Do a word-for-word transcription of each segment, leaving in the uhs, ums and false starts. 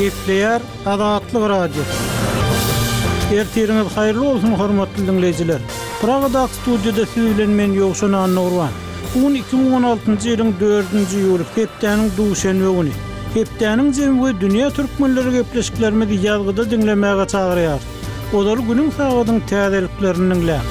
Gepleýär Azatlyk Radiosy. Ertiriňiz haýyrly bolsun, hormatly diňleýjiler. Pragadaky studiýada siz bilen men Ýowşan Annagurban. Bu gün iki müň on altynjy ýylyň dördünji iýuly, hepdäniň duşenbe güni. Hepdäniň jemi we dünýä türkmenleri gepleşiklerimizi ýazgyda diňlemäge çagyrýar. Ozaly günüň sagadyň täzeliklerini diňläň.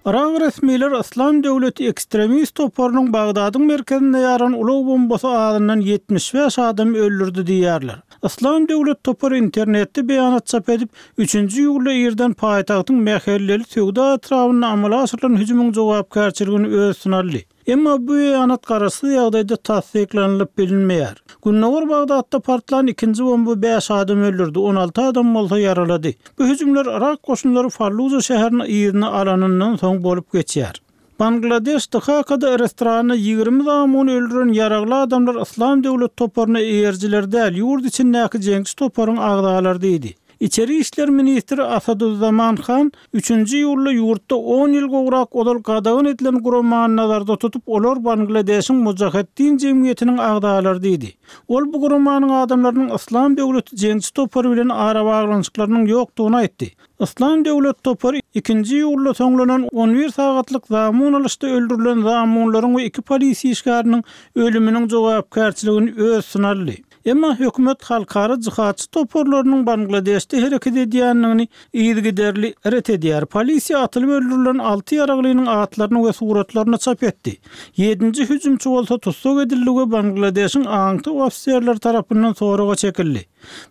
Yrak resmiler Yslam döwleti ekstremist toparynyň Bagdadyň merkezinde ýaran ulag bombasy azyndan ýetmiş bäş adamy öldürdi diýýärler. Yslam döwlet topary internetde beýanat çap edip, üçünji iýulda irden paýtagtyň mähelleli söwda etrabynda amala aşyrylan hüjümiň jogapkärçiligini öz üstüne aldy. Emma bu beýanat garaşsyz ýagdaýda tassyklanylyp bilinmeýär. Gündogar Bagdatda partlan ikinji bomba bäş adam öldürdi, on alty adam bolsa ýaralady. Bu hüjümler Yrak goşunlary Falluja şäherini yzyna alanyndan soň bolup geçýär. Bangladeş Dhakada restoranda ýigrimi zamuny öldüren ýaragly adamlar Yslam döwlet toparyna eýerjiler däl, ýurt içindäki jeňçi toparyň agzalary diýdi. Içeri işler ministri Asaduzzaman Han üçünji iýulda ýurtda on ýyl gowrak ozal gadagan edilen guramany nazarda tutup, olar Bangladeşiň Mujaheddin jemgyýetiniň agzalary diýdi. Ol bu guramanyň adamlarynyň Yslam döwleti jeňçi topary bilen arabaglanyşyklarynyň ýokdugyny aýtdy. Yslam döwlet topary ikinji iýulda soňlanan on bir sagatlyk zamun alyşda öldürilen zamunlaryň we iki polisiýa işgäriniň ölüminiň jogapkärçiligini öz üstüne aldy. Emma hökümet halkara jihatçy toparlarynyň Bangladeşde hereket edýändigini yzygiderli ret edýär. Polisiýa atylyp öldürilen alty ýaraglynyň atlaryny we suratlaryny çap etdi. Ýedinji hüjümçi bolsa tussag edildi we Bangladeşiň aňtaw ofiserleri tarapyndan soraga çekildi.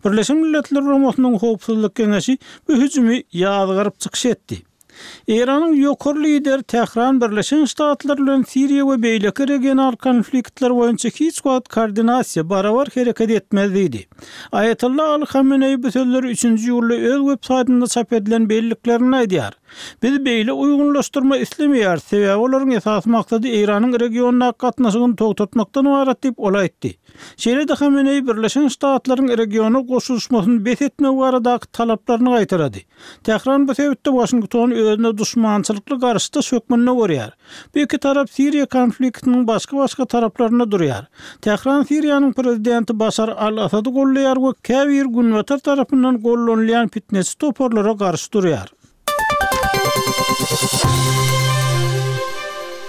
Birleşen Milletler Guramasynyň Howpsuzlyk Geňeşi bu hüjümi ýazgaryp çykyş etdi. Eýranyň ýokary lideri Tähran Birleşen Ştatlar bilen Siriýa we beýleki regional konfliktler boýunça hiç wagt koordinasiýa barabar hereket etmez diýdi. Aýatolla Ali Hameneýi bu sözleri üçünji iýulda öz web saýtynda çap edilen belliklerinde aýdýar. Biz beýle uýgunlaşdyrma islemeýäris, sebäbi olaryň esasy maksady Eýranyň regiondaky gatnaşygyny togtatmakdan ybarat diýip ol aýtdy. Şeýle-de Hameneýi Birleşen Ştatlaryň regiona goşulyşmasyny bes etmek baradaky talaplaryny gaýtarady. Tähran bu sebitde Waşingtony özüne duşmançylykly garşydaş hökmünde görýär. Bu iki tarap Siriýa konfliktiniň başga-başga taraplarynda durýar. Tähran Siriýanyň prezidenti Başar al-Assady gollaýar we käbir günbatar tarapyndan gollanylýan fitneçi toparlara garşy durýar.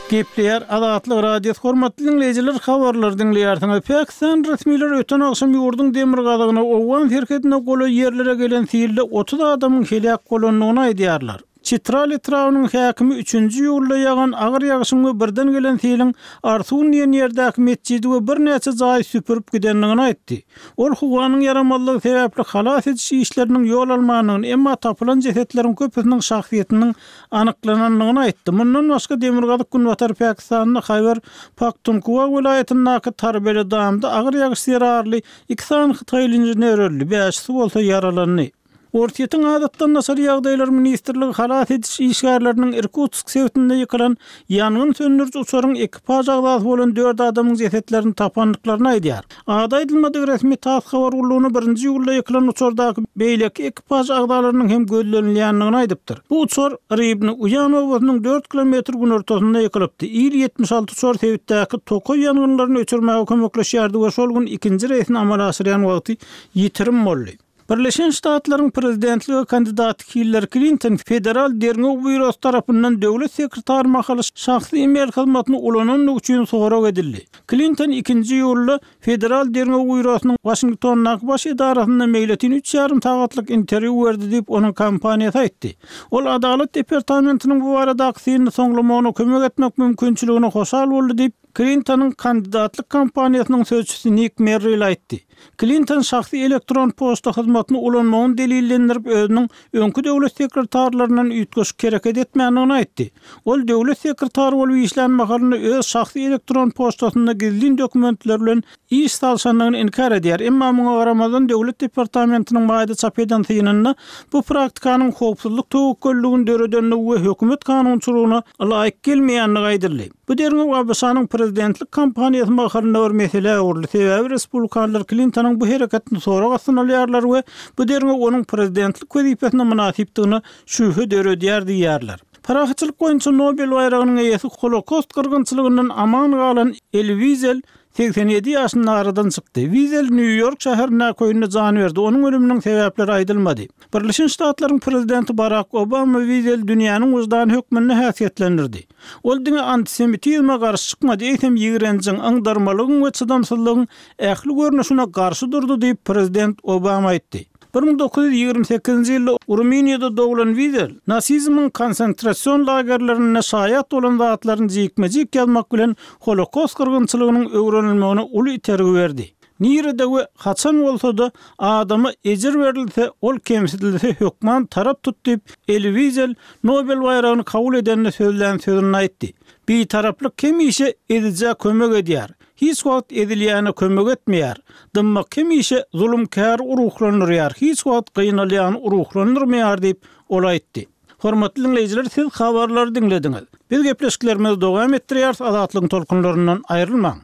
Gepleýär Azatlyk Radiosy, hormatly diňleýjiler, habarlary diňleýärsiňiz. Pakistan resmileri öten agşam ýurduň demirgazygyna, Owgan serhedine golaý ýerlere gelen silde otuz adamyň heläk bolandygyny aýdýarlar. Çitral etrabynyň häkimi üçünji iýulda ýagan agyr ýagyşyň we birden gelen siliň Arsun diýen ýerdäki metjidi we birnäçe jaýy süpürip gidendigini aýtdy. Ol howanyň ýaramazlygy sebäpli halas ediş işleriniň ýol almandygyny, emma tapylan jesetleriň köpüsiniň şahsyýetiniň anyklanandygyny aýtdy. Mundan başga demirgazyk günbatar Pakistanda Haýbar Pakhtunkhwa welaýatyndaky Tarbele damda agyr ýagyş zerarly iki sany hytaýly inžener öldi, bäşisi bolsa ýaralandy. Orsýetiň adatdan daşary ýagdaýlar ministrligi halas ediş işgärleriniň Irkutsk sebitinde ýykylan ýangyn söndüriji uçaryň ekipaž agzasy bolan dört adamyň jesetlerini tapandyklaryny aýdýar. Ady aýdylmadyk resmi TASS habar gullugyna birinji iýulda ýykylan uçardaky beýleki ekipaž agzalarynyň hem gözlenilýändigini aýdypdyr. Bu uçar Rybny Uýan obasynyň dört kilometr günortasynda ýykylypdy. Il ýetmiş alty uçar sebitdäki tokaý ýangynlaryny öçürmäge kömekleşýärdi we şol gün ikinji reýsini amala aşyrýan wagty ýitirim boldy. Birleşen Ştatlaryň prezidentlige kandidaty Hillary Klinton Federal Derňew Býurosy tarapyndan döwlet sekretary mahaly şahsy e-mail hyzmatyny ulanandygy üçin sorag edildi. Klinton ikinji iýulda Federal Derňew Býurosynyň Waşingtondaky baş edarasynda meýletin üç ýarym sagatlyk interwýu berdi diýip, onuň kompaniýasy aýtdy. Ol Adalat departamentiniň bu baradaky synyny soňlamagyna kömek etmek mümkinçiligine hoşal boldy diýip, Klintonyň kandidatlyk kampaniýasynyň sözçüsi Nik Merrill aýtdy. Klinton şahsy elektron poçta hyzmatyny ulanmagyny delillendirip, özüniň öňki döwlet sekretarlaryndan üýtgeşik hereket etmändigini aýtdy. Ol döwlet sekretary bolup işlän mahalynda öz şahsy elektron poçtasynda gizlin dokumentler bilen iş salşandygyny inkär edýär. Emma muňa garamazdan döwlet departamentiniň maýda çap eden synynda bu praktikanyň howpsuzlyk töwekgelligini döredendigi we hökümet kanunçylygyna laýyk gelmeýändigi aýdyldy. Bu derňew A B Ş-nyň prezidentlik kampaniýasy mahalynda bir meselä öwrüldi. Sebäbi respublikanlar Klintonyň bu hereketini sorag astyna alýarlar we bu derňew onuň prezidentlik wezipesine mynasypdygyna şübhe döredýär diýýärler. Parahatçylyk boýunça Nobel baýragynyň eýesi Holokost gyrgynçylygyndan aman galan Eli Wizel segsen ýedi ýaşynda aradan çykdy. Wizel Nýu-Ýork şäherindäki öýünde jan berdi. Onuň ölüminiň sebäpleri aýdylmady. Birleşen Ştatlaryň prezidenti Barak Obama Wizeli dünýäniň wyždany hökmünde häsiýetlendirdi. Ol diňe antisemitizme garşy çykmady, eýsem ýigrenjiň, yňdarmalygyň we çydamsyzlygyň ähli görnüşine garşy durdy diýip, prezident Obama aýtdy. Bir müň dokuz ýüz ýigrimi sekizinji ýylda Rumyniýada doglan Wizel nasizmiň konsentrasion lagerlerinde şaýat bolan zatlaryny jikme-jik ýazmak bilen Holokost gyrgynçylygynyň öwrenilmegine uly itergi berdi. Nirede we haçan bolsa-da adama ejir berilse, ol kemsidilse hökman tarap tut diýip, Eli Wizel Nobel baýragyny kabul edende sözlän sözünde aýtdy. Bitaraplyk hemişe ezijä kömek edýär. Hiç wagt ezilýäne kömek etmeýär. Dymmak hemişe zulumkäri ruhlandyrýar, hiç wagt gynalýany ruhlandyrmaýar diýip, ol aýtdy. Hormatly diňleýjiler, siz habarlary diňlediňiz. Biz gepleşiklerimizi dowam etdirýäris, Azatlygyň tolkunlaryndan aýrylmaň.